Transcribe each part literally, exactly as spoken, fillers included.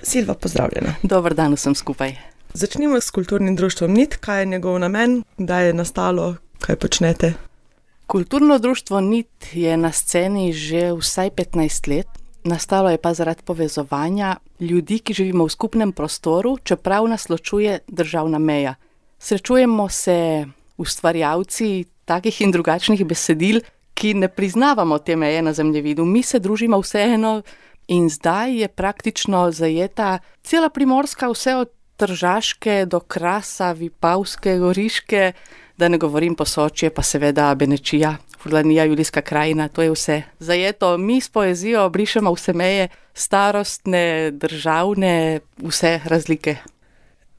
Silva, pozdravljena. Dober dan vsem skupaj. Začnimo s kulturnim društvom Nit. Kaj je njegov namen, kdaj je nastalo, kaj počnete? Kulturno društvo Nit je na sceni že vsaj petnajst let. Nastalo je pa zaradi povezovanja ljudi, ki živimo v skupnem prostoru, čeprav nas ločuje državna meja. Srečujemo se ustvarjalci takih in drugačnih besedil, ki ne priznavamo te meje na zemljevidu. Mi se družimo vseeno in zdaj je praktično zajeta cela Primorska, vse od Tržaške do Krasa, Vipavske, Goriške, da ne govorim Posočje, pa seveda Benečija, Furlanija, Julijska krajina, to je vse zajeto. Mi s poezijo brišemo vse meje, starostne, državne, vse razlike.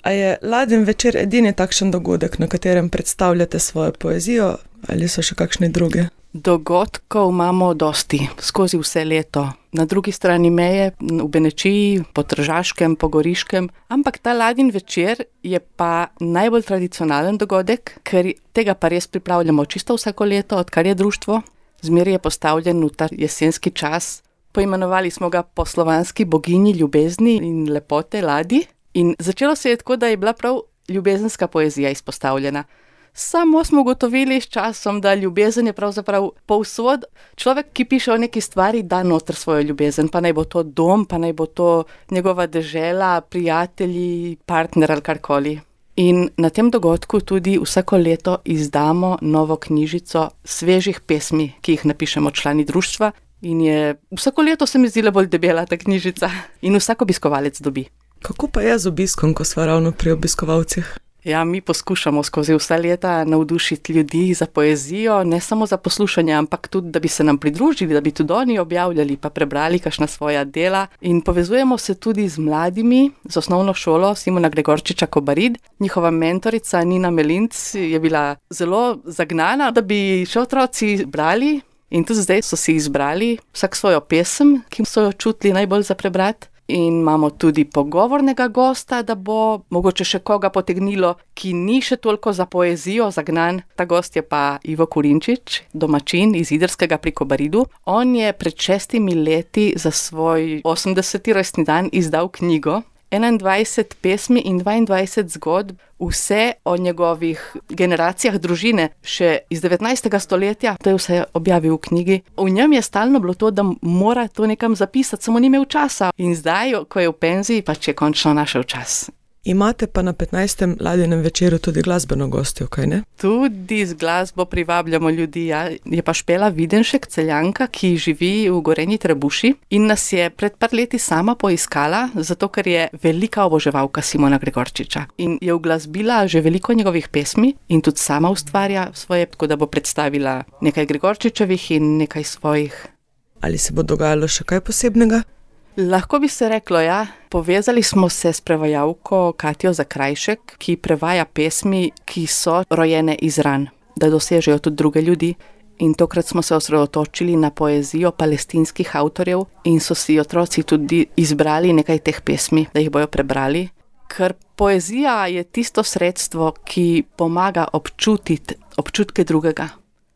A je Ladin večer edini takšen dogodek, na katerem predstavljate svojo poezijo, ali so še kakšne druge? Dogodkov imamo dosti, skozi vse leto. Na drugi strani meje, v Benečiji, po Tržaškem, po Goriškem. Ampak ta Ladin večer je pa najbolj tradicionalen dogodek, ker tega pa res pripravljamo čisto vsako leto, odkar je društvo. Zmeraj je postavljen v ta jesenski čas. Poimenovali smo ga po slovanski boginji ljubezni in lepote Ladi. In začelo se je tako, da je bila prav ljubezenska poezija izpostavljena. Samo smo ugotovili s časom, da ljubezen je pravzaprav povsod. Človek, ki piše o neki stvari, da noter svojo ljubezen, pa naj bo to dom, pa naj bo to njegova dežela, prijatelji, partner ali karkoli. In na tem dogodku tudi vsako leto izdamo novo knjižico svežih pesmi, ki jih napišemo člani društva. In je vsako leto se mi zdela bolj debela ta knjižica in vsak obiskovalec dobi. Kako pa je z obiskom, ko sva ravno pri obiskovalcih? Ja, mi poskušamo skozi vsa leta navdušiti ljudi za poezijo, ne samo za poslušanje, ampak tudi, da bi se nam pridružili, da bi tudi oni objavljali pa prebrali kakšna svoja dela. In povezujemo se tudi z mladimi, z osnovno šolo Simona Gregorčiča Kobarid. Njihova mentorica Nina Melinc je bila zelo zagnana, da bi še otroci brali. In tudi zdaj so si izbrali vsak svojo pesem, ki so jo čutili najbolj za prebrati. In imamo tudi pogovornega gosta, da bo mogoče še koga potegnilo, ki ni še toliko za poezijo zagnan. Ta gost je pa Ivo Kurinčič, domačin iz Idrskega pri Kobaridu. On je pred šestimi leti za svoj osemdeseti rojstni dan izdal knjigo, enaindvajset pesmi in dvaindvajset zgodb, vse o njegovih generacijah družine, še iz devetnajstega stoletja, to je vse objavil v knjigi. V njem je stalno bilo to, da mora to nekam zapisati, samo ni imel časa. In zdaj, ko je v penziji, pač je končno našel čas. Imate pa na petnajstem Ladinem večeru tudi glasbeno gostjo, kaj ne? Tudi z glasbo privabljamo ljudi, ja. Je pa Špela Videnšek, Celjanka, ki živi v Gorenji Trebuši in nas je pred par leti sama poiskala, zato ker je velika oboževalka Simona Gregorčiča. In je uglasbila že veliko njegovih pesmi in tudi sama ustvarja svoje, tako da bo predstavila nekaj Gregorčičevih in nekaj svojih. Ali se bo dogajalo še kaj posebnega? Lahko bi se reklo, ja. Povezali smo se s prevajalko Katjo Zakrajšek, ki prevaja pesmi, ki so rojene iz ran, da dosežejo tudi druge ljudi. In tokrat smo se osredotočili na poezijo palestinskih avtorjev in so si otroci tudi izbrali nekaj teh pesmi, da jih bojo prebrali. Ker poezija je tisto sredstvo, ki pomaga občutiti občutke drugega.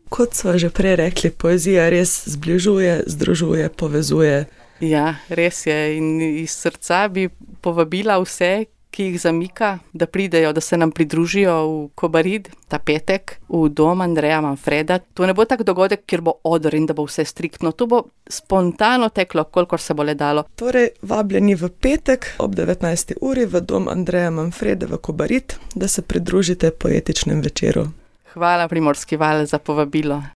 Kot sva že prej rekli, poezija res zbližuje, združuje, povezuje. Ja, res je. In iz srca bi povabila vse, ki jih zamika, da pridejo, da se nam pridružijo v Kobarid ta petek, v dom Andreja Manfreda. To ne bo tak dogodek, kjer bo odr in da bo vse striktno. To bo spontano teklo, kolikor se bo le dalo. Torej, vabljeni v petek ob devetnajsti uri v dom Andreja Manfreda v Kobarid, da se pridružite poetičnem večeru. Hvala Primorski val za povabilo.